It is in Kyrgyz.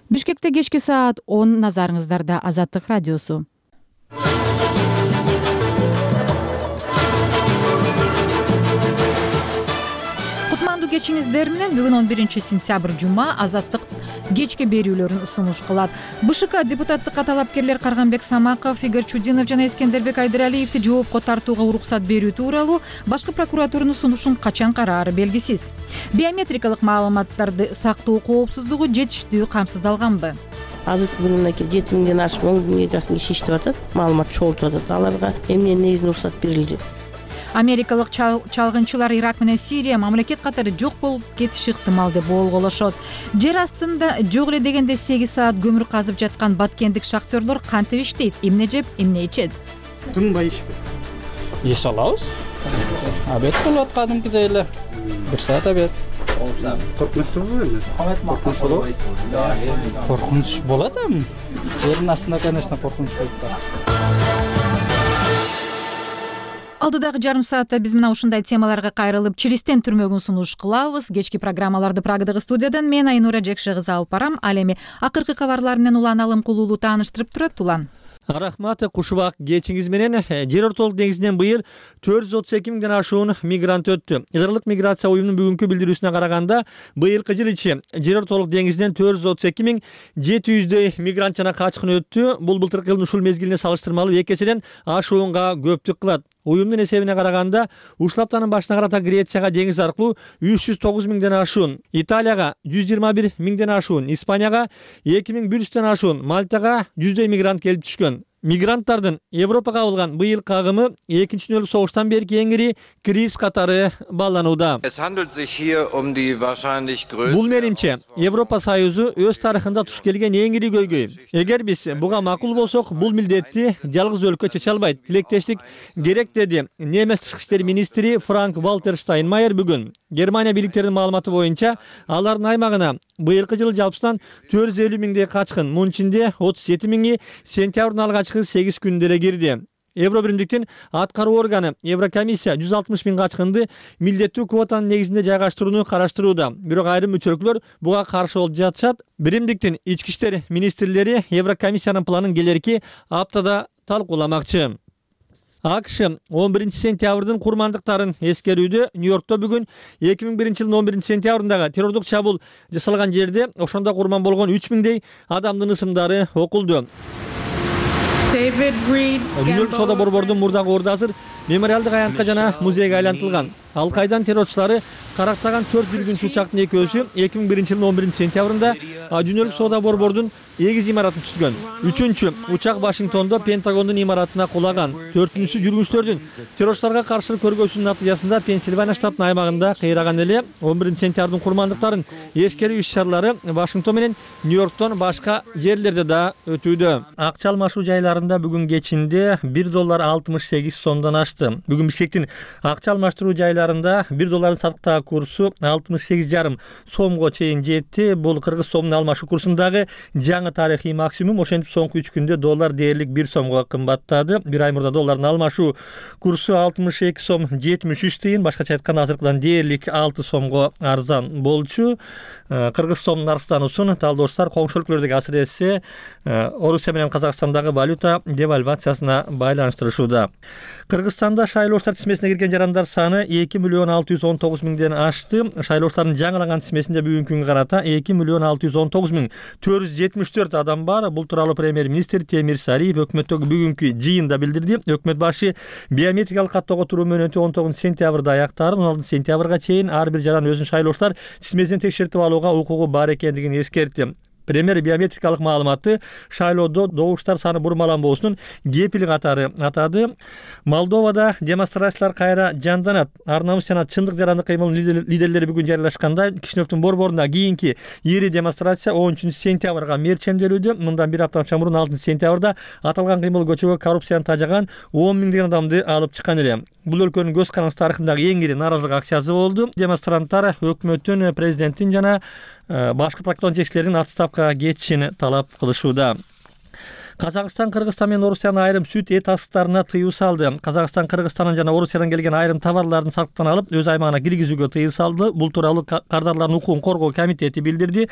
Бишкекте кечки саат 10 назарыңыздарда Азаттык радиосу. Кутмандуу кечиңиздер менен бүгүн 11 сентябрь жума Азаттык кечки берүүлөрүн сунуш кылат. БШК депутаттыкка талапкерлер Карганбек Самаков, Игорь Чудинов жана Эскендербек Айдыралиевди жоопко тартууга уруксат берүү тууралуу башкы прокуратуранын сунушун качан караары белгисиз. Биометрикалык маалыматтарды сактоо коопсуздугу жетиштүү камсыздалганбы? Азыркы күнүнө 7 миңден ашып 10 миңге жакын киши иштеп атат, маалымат чогултуп атат. Аларга эмне негизинде уруксат берилди? Америкалык чалгынчылар Ирак менен Сирия мамлекет катары жок болуп кетиши ыктымал деп болголошот. Жер астында жок эле дегенде 8 саат көмүр казып жаткан баткендик шахтерлор кантип иштейт, эмне жеп, эмне ичет? Тынбай иш алабыз. Обед болот кадимкидей эле. 1 саат обед. Коркунучтугу коркунуч болот эми. Жердин астында, конечно, коркунуч болуп турат. Алдыдагы жарым саатта биз мына ушундай темаларга кайрылып, чиристен түрмөгүн сунуш кылабыз. Кечки программаларды Прагадагы студиядан мен Айнура Жекшегызы алып барам. Ал эми акыркы кабарлар менен Улан Алым Кулуулу тааныштырып турат. Улан. Рахмат, кушубак кечиңиз менен. Жер ортолук деңизинен быйыл 432 миңден ашуун мигрант өттү. Илгырлык миграция уюмунун бүгүнкү билдирүүсүнө караганда, быйылкы жыл ичи жер ортолук деңизинен 432.700 мигрант жана качкын өттү. Бул былтыркы жылдын ушул мезгилине салыштырмалуу 2 эседен ашуунга көптүк кылат. Уюмдун эсебине караганда, ушул аптанын башына карата Грецияга деңиз аркылуу 309 миңден ашуун, Италияга 121 миңден ашуун, Испанияга 2100ден ашуун, Мальтага 100 мигрант келип түшкөн. Мигранттардын Европага кабылган быйылкы агымы 2-нчы дүйнөлүк согуштан берки эң ири криз катары бааланууда. Бул менимче Европа Союзу өз тарыхында туш келген эң ири көйгөй. Эгер биз буга макул болсок, бул милдетти жалгыз өлкө чече албайт. Тилектештик керек, деди Немец тышкы иштер министри Франк Вальтер Штайнмайер бүгүн. Германия бийликтеринин маалыматы боюнча, алардын аймагына быйылкы жылы жалпысынан 450 миңдей качкын, мунун ичинде 37 миңи сентябрдын алгачкы 8 күндө эле кирди. Евробиримдиктин аткаруу органы Еврокомиссия 160 миң качкынды милдеттүү квотанын негизинде жайгаштырууну караштырууда. Бирок айрым мүчөлүклөр буга каршы болуп жатышат. Биримдиктин ички иштер министрлери Еврокомиссиянын планын келерки аптада талкууламакчы. АКШ 11 сентябрдын курмандыктарын эскерүүдө. Нью-Йоркто бүгүн 2001 жылдын 11 сентябрындагы террордук чабуул жасалган жерде ошондо курман болгон 3 миңдей адамдын ысымдары окулду. Дүйнөлүк соода борбордун мурдагы орду азыр мемориалдык аянтка жана музейге айлантылган. Ал-Кайдан террорчулары карактаган 4 жүргүнчү учактын экөөсү 2001 жылдын 11 сентябрында дүйнөлүк соода борбордун эгиз имаратын түзгөн. 3-чү учак Вашингтондо Пентагондун имаратына кулаган. 4-сү жүргүнчүлөрдүн террорчуларга каршы көргөзүүнүн натыйжасында Пенсильвания штатынын аймагында кыйраган эле. 11 сентябрдын курмандыктарын эскерүү иш-чаралары Вашингтон менен Нью-Йорктон башка жерлерде да өтүүдө. Акча алмашуу жайларында бүгүн кечинде $1.68 сомдон ашты. Бүгүн Бишкектин акча алмаштыруу жайларында $1 сатыктагы курсу 68,5 сомго чейин жетти. Бул кыргыз сомунун алмашуу курсундагы жаңы тарыхый максимум. Ошентип соңку 3 күндө доллар дээрлик 1 сомго кымбаттады. Bir ай мурда доллардын алмашуу курсу 62 сом 73 тыйын, башкача айтканда азыркыдан дээрлик 6 сомго арзан болчу. Кыргыз сомунун арзануусун талдоочулар коңшу өлкөлөрдөгү асыресе Орусия менен Казакстандагы валюта девальвациясына байланыштырышууда. Кыргызстанда шайлоочулар тизмесине кирген жарандар саны 2.619 миңден ашты. Шайлоочулардын жаңыланган тизмесинде бүгүнкү күнгө карата 2.619.474 адам бар. Бул тууралуу премьер-министр Темир Сариев өкмөттөгү бүгүнкү жыйында билдирди. Өкмөт башы биометрикалык каттоого туруу мөөнөтү 19 сентябрда аяктарын, 16 сентябрга чейин ар бир жаран өзүнүн шайлоочулар тизмесинен текшертип алууга укугу бар экендигин эскертти. Премьер биометрикалык маалыматты шайлоодо добуштар саны бурмаланбоосунун кепили катары атады. Молдовада демонстрациялар кайра жанданат. Ар намыс жана чындык жарандык кыймылдын лидерлери бүгүн жарыялашкандай, Кишиневдин борборунда кийинки ири демонстрация 10 сентябрга мерчемделүүдө. Мындан бир апта мурун 6 сентябрда аталган кыймыл көчөгө коррупцияны тажаган 10 миңдеген адамды алып чыккан эле. Бул өлкөнүн көз карандысы тарыхындагы эң ири нааразылык акциясы болду. Демонстранттар өкмөттүн, президенттин жана башкы прокурор жетекчилеринин отставкага кетишин талап кылышууда. Казакстан, Кыргызстан менен Орусиянын айрым сүт эт асыктарына тыюу салды. Казакстан Кыргызстандан жана Орусиядан келген айрым товарлардын сатыктан алып, өз аймагына киргизүүгө тыюу салды. Бул тууралуу Кардарлардын укугун коргоо комитети билдирди.